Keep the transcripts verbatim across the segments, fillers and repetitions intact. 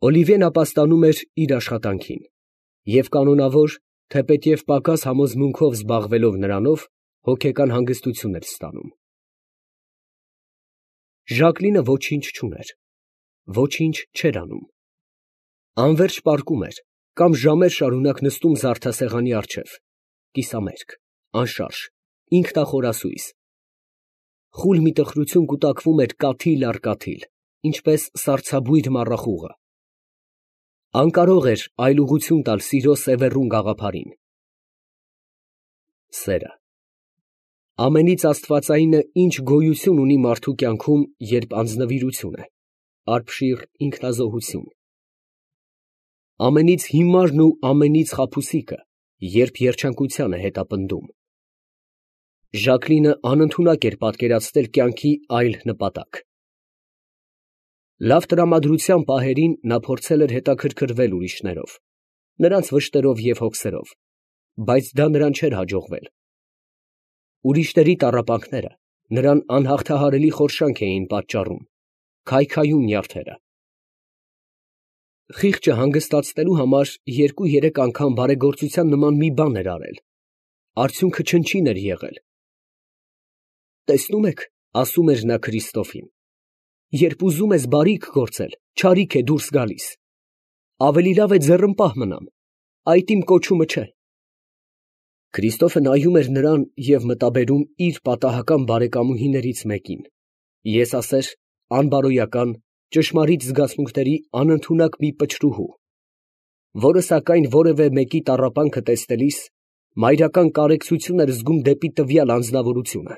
Օլիվիեն ապաստանում էր իր աշխատանքին և կանոնավոր, թեպետև պակաս համոզմունքով զբաղվելով նրանով, հոգեկան հանգստություն էր ստանում։ Ժակլինը ոչինչ չուներ, ոչինչ չէր անում, անվերջ պառկում էր կամ ժամեր շարունակ նստում զարդասեղանի առջև, կիսամերկ, անշարժ, ինքնախորասույզ, խուլ մի տխրություն կուտակվում էր կաթիլ առ կաթիլ, ինչպես սառցաբույր մառախուղը, անկարող էր այլուղություն տալ սիրո սևեռուն գաղափարին։ Սերը, ամենից աստվածայինը ինչ գոյություն ունի մարդու կյանքում, երբ անձնվիրություն է, արբշիռ ինքնազոհություն, ամենից հիմարն ու ամենից խաբուսիկը, երբ երջանկության է հետապնդում։ Ժակլինը անընդունակ էր պատկերացնել կյանքի այլ նպատակ։ Լավ տրամադրության պահերին նա փորձել էր հետաքրքրվել ուրիշներով, նրանց վշտերով և հոգսերով, բայց դա նրան չէր հաջողվել։ Ուրիշների տառապանքները նրան անհաղթահարելի խորշանք էին պատճառում, քայքայում նյարդերը։ Խիղճը հանգստացնելու համար երկու֊երեք անգամ բարեգործության նման մի բան էր արել, արդյունքը չնչին էր եղել։ «Տեսնում եք, ֊ ասում էր նա Քրիստոֆին, ֊ երբ ուզում ես բարիք գործել, չարիք է դուրս գալիս, ավելի լավ է ձեռնպահ մնամ, այդ իմ կոչումը չէ»։ Քրիստոֆը նայում էր նրան և մտաբերում իր պատահական բարեկամուհիներից մեկին, եսասեր, անբարոյական, ճշմարիտ զգացմունքների անընդունակ մի պչրուհու, որը սակայն որևէ մեկի տառապանքը տեսնելիս մայրական կարեկցություն էր զգում դեպի տվյալ անձնավորությունը,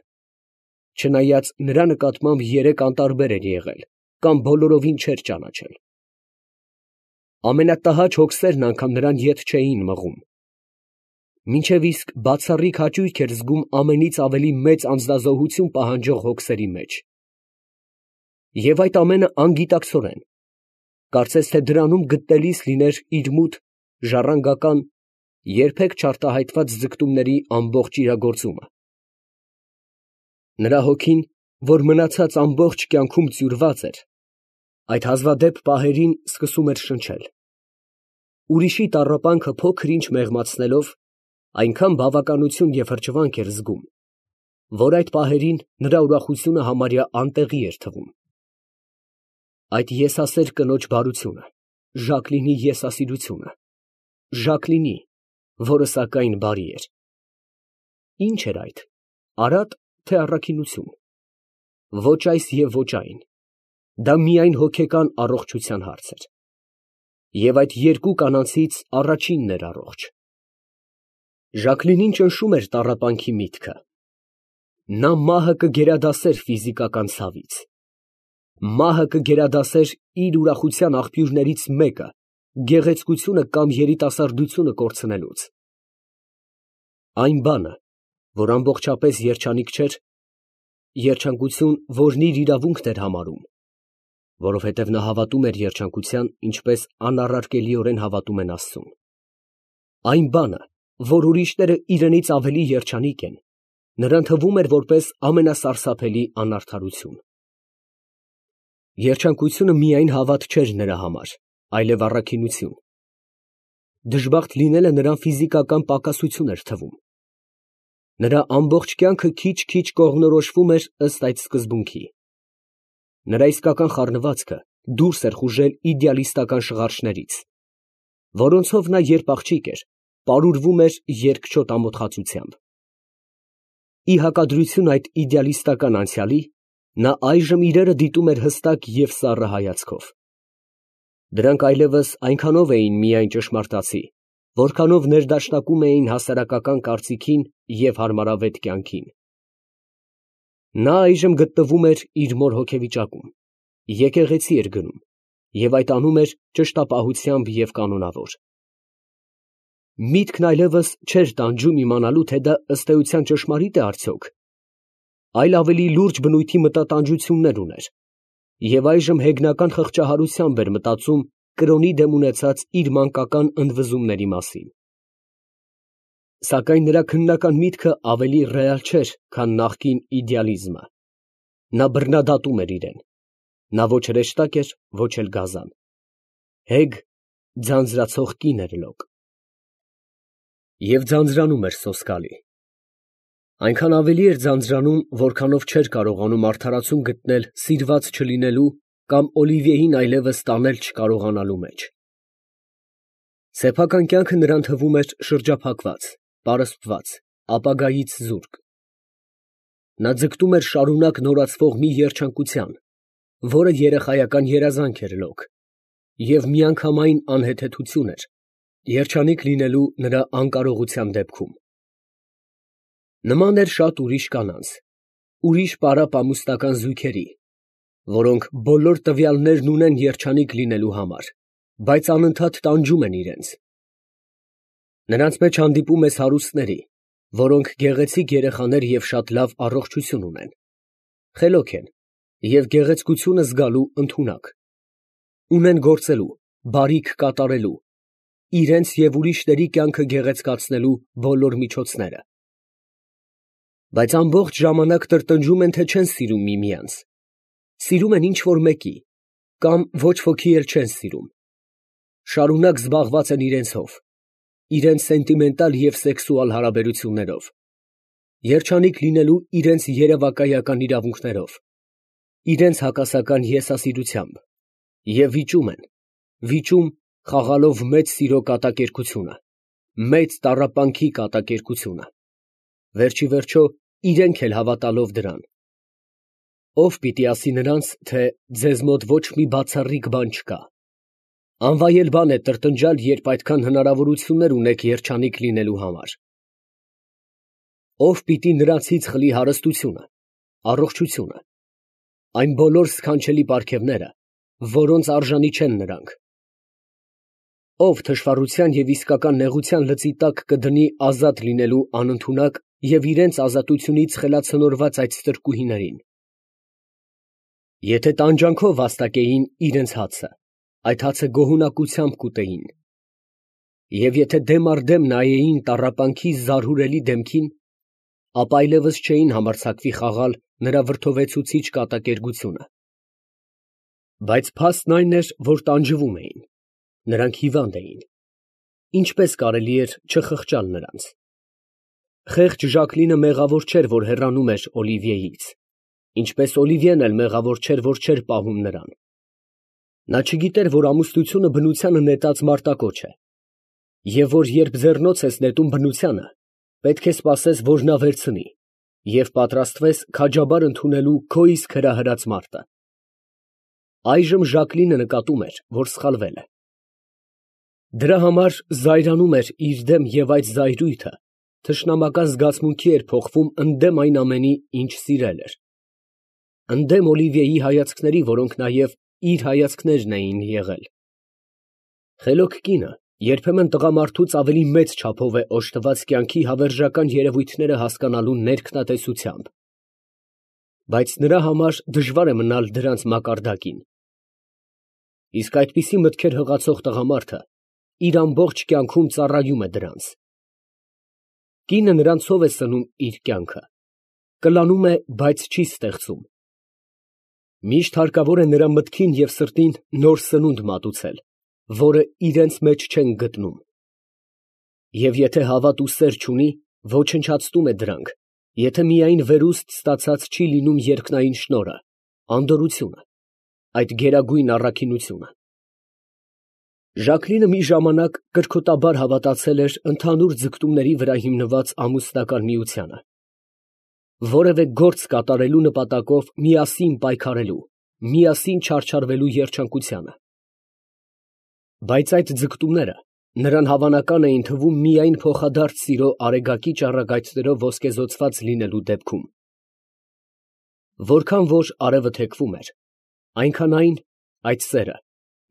չնայած նրա նկատմամբ երեք անտարբեր էր եղել կամ բոլորովին չէր ճանաչել։ Ամենատհաճ հոգսերն անգամ նրան ետ չէին մղում, մինչև իսկ բացառիկ հաճույք էր զգում ամենից ավելի մեծ անձնազոհություն պահանջող հոգսերի մեջ։ Եվ այդ ամենը անգիտակցորեն, կարծես թե դրանում գտնելիս լիներ իր մութ, ժառանգական, երբեք չարտահայտված ձգտումների ամբողջ իրագործումը։ Նրա հոգին, որ մնացած ամբողջ կյանքում ծյուրված էր, այդ հազվադեպ պահերին սկսում էր շնչել։ Ուրիշի տառապանքը փոքր-ինչ մեղմացնելով, այնքան բավականություն և հրճվանք էր զգում, որ այդ պահերին նրա ուրախությունը համարյա անտեղի էր թվում։ Այդ եսասեր կնոջ բարությունը, Ժակլինի եսասիրությունը, Ժակլինի, որը սակայն բարի էր։ Ի՞նչ էր այդ, արատ, թե առաքինություն։ Ոչ այս և ոչ այն, դա միայն հոգեկան առողջության հարց էր։ Եվ այդ երկու կանանցից առաջինն էր առողջ։ Ժակլինին ճնշում էր տառապանքի միտքը։ Նա մահը կգերադասեր ֆիզիկական ցավից, մահը կգերադասեր իր ուրախության աղբյուրներից մեկը գեղեցկությունը կամ երիտասարդությունը կորցնելուց։ Այն բանը, որ ամբողջապես երջանիկ չէր, երջանկություն, որն իր իրավունքն էր համարում, որովհետև նա հավատում էր երջանկության, ինչպես անառարկելիորեն հավատում են Աստծուն։ Այն բանը, որ ուրիշները իրենից ավելի երջանիկ են, նրան թվում էր որպես ամենասարսափելի անարդարություն։ Երջանկությունը միայն հավատ չէր նրա համար, այլև առաքինություն։ Դժբախտ լինելը նրան ֆիզիկական պակասություն էր թվում։ Նրա ամբողջ կյանքը քիչ֊քիչ կողմնորոշվում էր ըստ այդ սկզբունքի։ Նրա իսկական խառնվածքը դուրս էր խուժել իդեալիստական շղարշներից, որոնցով նա երբ աղջիկ էր, պարուրվում էր երկչոտ ամոթխածությամբ։ Ի հակադրություն այդ իդեալիստական անցյալի, նա այժմ իրերը դիտում էր հստակ և սառը հայացքով։ Դրանք այլևս այնքանով էին միայն ճշմարտացի, որքանով ներդաշնակում էին հասարակական կարծիքին և հարմարավետ կյանքին։ Նա այժմ գտնվում էր իր մոր հոգեվիճակում, եկեղեցի էր գնում և այդ անում էր ճշտապահությամբ և կանոնավոր։ Միտքն այլևս չէր տանջում իմանալու, թե դա ըստ էության ճշմարիտ է արդյոք, այլ ավելի լուրջ բնույթի մտատանջություններ ուներ, և այժմ հեգնական խղճահարությամբ էր մտածում կրոնի դեմ ունեցած իր մանկական ընդվզումների մասին։ Սակայն նրա քննական միտքը ավելի ռեալ չէր, քան նախկին իդեալիզմը։ Նա բռնադատում էր իրան։ Նա ոչ հրեշտակ էր, ոչ էլ գազան։ հեգ, ձանձրացող կին էր լոկ։ Եվ ձանձրանում էր սոսկալի։ Այնքան ավելի էր ձանձրանում, որքանով չէր կարողանում արդարացում գտնել սիրված չլինելու կամ Օլիվիեին այլևս տանել չկարողանալու մեջ։ Սեփական կյանքը նրան թվում էր շրջափակված, պարսպված, ապագայից զուրկ։ Նա ձգտում էր շարունակ նորացվող մի երջանկության, որը երեխայական երազանք էր լոկ, և միանգամայն անհեթեթություն էր, երջանիկ լինելու նրա անկարողության դեպքում։ Նման էր շատ ուրիշ կանանց, ուրիշ պարապ-ամուսնական զույգերի, որոնք բոլոր տվյալներն ունեն երջանիկ լինելու համար, բայց անընդհատ տանջում են իրենց։ Նրանց մեջ հանդիպում ես հարուստների, որոնք գեղեցիկ երեխաներ և շատ լավ առողջություն ունեն, խելոք են և գեղեցկությունը զգալու ընդունակ, ունեն գործելու, բարիք կատարելու, իրենց և ուրիշների կյանքը գեղեցկացնելու բոլոր միջոցները, բայց ամբողջ ժամանակ տրտնջում են, թե չեն սիրում միմյանց, սիրում են ինչ֊որ մեկի, կամ ոչ ոքի էլ չեն սիրում, շարունակ զբաղված են իրենցով, իրենց սենտիմենտալ և սեքսուալ հարաբերություններով, երջանիկ լինելու իրենց երևակայական իրավունքներով, իրենց հակասական եսասիրությամբ, և վիճում են, վիճում խաղալով մեծ սիրո կատակերգությունը, մեծ տառապանքի կատակերգությունը, վերջիվերջո իրենք էլ հավատալով դրան։ Ո՞վ պիտի ասի նրանց, թե ձեզ մոտ ոչ մի բացառիկ բան չկա։ Անվայել բան է տրտնջալ, երբ այդքան հնարավորություններ ունեք երջանիկ լինելու համար։ Ո՞վ պիտի նրանցից խլի հարստությունը, առողջությունը, այն բոլոր սքանչելի պարգևները, որոնց արժանի չեն նրանք։ Ո՞վ թշվառության և իսկական նեղության լծի տակ կդնի ազատ լինելու անընդունակ և իրենց ազատությունից խելացնորված այդ ստրկուհիներին։ Եթե տանջանքով վաստակեին իրենց հացը, այդ հացը գոհունակությամբ կուտեին, և եթե դեմ առ դեմ նայեին տառապանքի զարհուրելի դեմքին, ապա այլևս չէին համարձակվի խաղալ նրա վրդովեցուցիչ կատակերգությունը։ Բայց փաստն այն էր, որ տանջվում էին, նրանք հիվանդ էին, ինչպե՞ս կարելի էր չխղճալ նրանց։ Խեղճ Ժակլինը մեղավոր չէր, որ հեռանում էր Օլիվիեից, ինչպես Օլիվիեն էլ մեղավոր չէր, որ չէր պահում նրան։ Նա չգիտեր, որ ամուսնությունը բնությանը նետած մարտակոչ է, և որ երբ ձեռնոց ես նետում բնությանը, պետք է սպասես, որ նա վերցնի, և պատրաստվես քաջաբար ընդունելու քո իսկ հրահրած մարտը։ Այժմ Ժակլինը նկատում էր, որ սխալվել է։ Դրա համար զայրանում էր իր դեմ և այդ զայրույթը թշնամական զգացմունքի էր փոխվում ընդդեմ այն ամենի, ինչ սիրել էր, ընդդեմ Օլիվիեի հայացքների, որոնք նաև իր հայացքներն էին եղել։ Խելոք կինը երբեմն տղամարդուց ավելի մեծ չափով է օժտված կյանքի հավերժական երևույթները հասկանալու ներքնատեսությամբ, բայց նրա համար դժվար է մնալ դրանց մակարդակին։ Իսկ այդպիսի մտքեր հղացող տղամարդը իր ամբողջ կյանքում ծառայում է դրանց։ Կինը նրանցով է սնում իր կյանքը, կլանում է, բայց չի ստեղծում։ Միշտ հարկավոր է նրա մտքին և սրտին նոր սնունդ մատուցել, որը իրենց մեջ չեն գտնում։ Եվ եթե հավատ ու սեր չունի, ոչնչացնում է դրանք, եթե միայն վերուստ ստացած չի լինում երկնային շնորհը, անդորրությունը, այդ գերագույն առաքինությունը։ Ժակլինը մի ժամանակ կրքոտաբար հավատացել էր ընդհանուր ձգտումների վրա հիմնված ամուսնական միությանը, որևէ գործ կատարելու նպատակով միասին պայքարելու, միասին չարչարվելու երջանկությանը։ Բայց այդ ձգտումները նրան հավանական էին թվում միայն փոխադարձ սիրո արեգակի ճառագայթներով ոսկեզօծված լինելու դեպքում։ Որքան որ արևը թեքվում էր, այնքան այն, այդ սերը,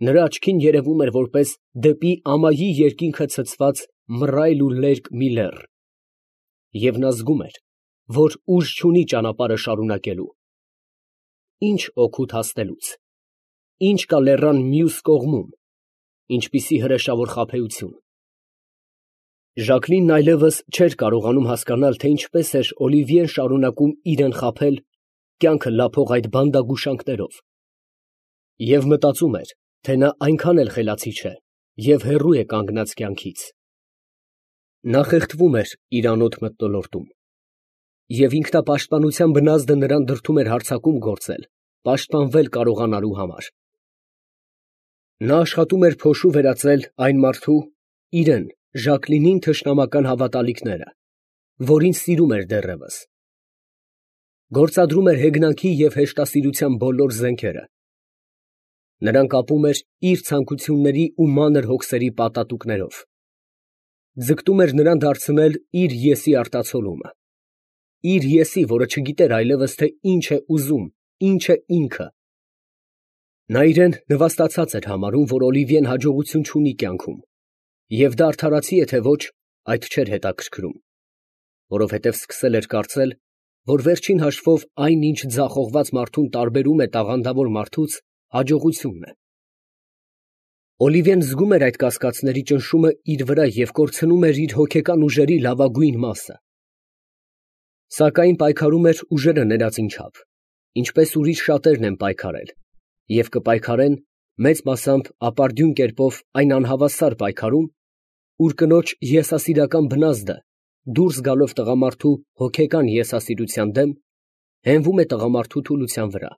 նրա աչքին երևում էր որպես դեպի ամայի երկինքը ցցված մռայլ ու լերկ մի լեռ, և նա զգում էր, որ ուժ չունի ճանապարհը շարունակելու։ Ի՞նչ օգուտ հասնելուց, ի՞նչ կա լեռան մյուս կողմում, ինչպիսի հրեշավոր խաբեություն։ Ժակլինն այլևս չէր կարողանում հասկանալ, թե ինչպես էր Օլիվիեն շարունակում իրեն խաբել, կյանքը լափող այդ բանդագուշանքներով, և մտածում էր, թե նա այնքան էլ խելացի չէ և հեռու է կանգնած կյանքից։ Նա խեղդվում էր իր անոտ մթնոլորտում, և ինքնապաշտպանության բնազդը նրան դրդում էր հարձակում գործել, պաշտպանվել կարողանալու համար։ Նա աշխատում էր փոշու վերածել այն մարդու, իրեն, Ժակլինին թշնամական հավատալիքները, որին սիրում էր դեռևս։ Գործադրում էր հեգնանքի և հեշտասիրության բոլոր զենքերը։ Նրան կապում էր իր ցանկությունների ու մանր հոգսերի պատատուկներով, ձգտում էր նրան դարձնել իր ես֊ի արտացոլումը, իր ես֊ի, որը չգիտեր այլևս, թե ինչ է ուզում, ինչ է ինքը։ Նա իրան նվաստացած էր համարում, որ Օլիվիեն հաջողություն չունի կյանքում, և դա արդարացի է թե ոչ, այդ չէր հետաքրքրում, որովհետև սկսել էր կարծել, որ վերջին հաշվով այն, ինչ ձախողված մարդուն տարբերում է տաղանդավոր մարդուց, հաջողությունն է։ Օլիվիեն զգում էր այդ կասկածների ճնշումը իր վրա և կորցնում էր իր հոգեկան ուժերի լավագույն մասը։ Սակայն պայքարում էր ուժերը ներածին չափ, ինչպես ուրիշ շատերն են պայքարել և կպայքարեն մեծ մասամբ ապարդյուն կերպով այն անհավասար պայքարում, ուր կնոջ եսասիրական բնազդը, դուրս գալով տղամարդու հոգեկան եսասիրության դեմ, հենվում է տղամարդու թուլության վրա,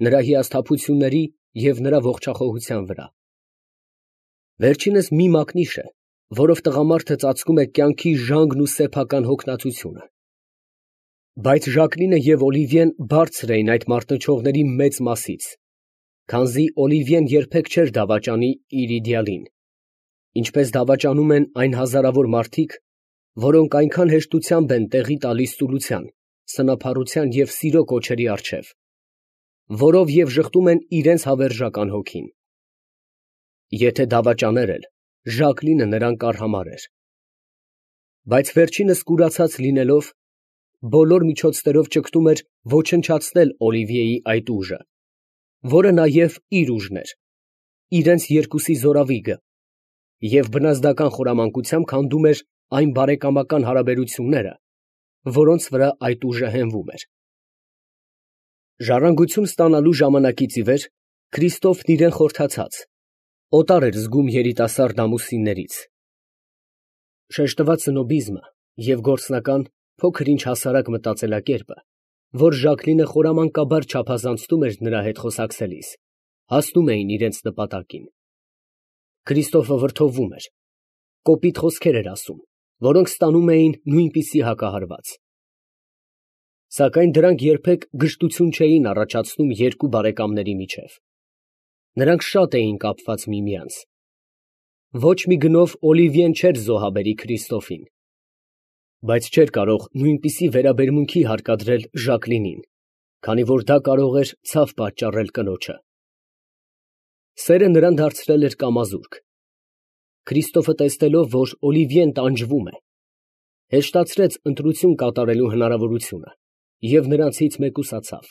նրա հիասթափությունների և նրա ողջախոհության վրա։ Վերջինս մի մակնիշ է, որով տղամարդը ծածկում է կյանքի ժանգն ու սեփական հոգնածությունը։ Բայց Ժակլինը և Օլիվիեն բարձր էին այդ մարտնչողների մեծ մասից, քանզի Օլիվիեն երբեք չէր դավաճանի իր իդեալին, ինչպես դավաճանում են այն հազարավոր մարդիկ, որոնք այնքան հեշտությամբ են տեղի տալիս ծուլության, սնափառության և սիրո կոչերի առջև, որով և ժխտում են իրենց հավերժական հոգին։ Եթե դավաճաներ էլ, Ժակլինը նրան կարհամարհեր։ Բայց վերջինս կուրացած լինելով, բոլոր միջոցներով ճգտում էր ոչնչացնել Օլիվիեի այդ ուժը, որը նաև իր ուժն էր, իրենց երկուսի զորավիգը, և բնազդական խորամանկությամբ քանդում էր այն բարեկամական հարաբերությունները, որոնց վրա այդ ուժը հենվում էր։ Ժառանգություն ստանալու ժամանակից ի վեր Քրիստոֆն իրան խորթացած, օտար էր զգում երիտասարդ ամուսիններից։ Շեշտված սնոբիզմը և գործնական, փոքր-ինչ հասարակ մտածելակերպը, որ Ժակլինը խորամանկաբար չափազանցնում էր նրա հետ խոսակցելիս, հասնում էին իրենց նպատակին։ Քրիստոֆը վրդովվում էր, կոպիտ խոսքեր էր ասում, որոնք ստանում էին նույնպիսի հակահարված։ Սակայն դրանք երբեք գժտություն չէին առաջացնում երկու բարեկամների միջև։ Նրանք շատ էին կապված միմյանց։ Ոչ մի գնով Օլիվիեն չէր զոհաբերի Քրիստոֆին, բայց չէր կարող նույնպիսի վերաբերմունքի հարկադրել Ժակլինին, քանի որ դա կարող էր ցավ պատճառել կնոջը։ Սերը նրան դարձրել էր կամազուրկ։ Քրիստոֆը տեսնելով, որ Օլիվիեն տանջվում է, հեշտացրեց ընտրություն կատարելու հնարավորությունը և նրանցից մեկուսացավ։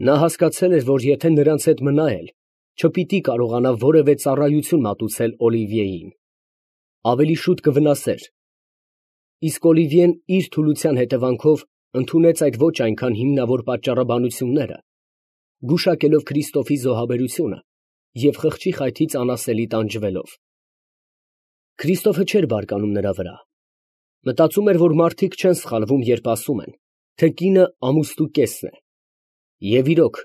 Նա հասկացել էր, որ եթե նրանց հետ մնա էլ, չպիտի կարողանա որևէ ծառայություն մատուցել Օլիվիեին, ավելի շուտ կվնասեր, իսկ Օլիվիեն իր թուլության հետևանքով ընդունեց այդ ոչ այնքան հիմնավոր պատճառաբանությունները, գուշակելով Քրիստոֆի զոհաբերությունը և խղճի խայթից անասելի տանջվելով։ Քրիստոֆը չէր բարկանում նրա վրա, մտածում էր, որ մարդիկ չեն սխալվում, երբ ասում են, թե կինը ամուսնու կեսն է, և իրոք,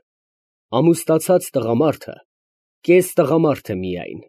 ամուսնացած տղամարդը կես տղամարդ է միայն։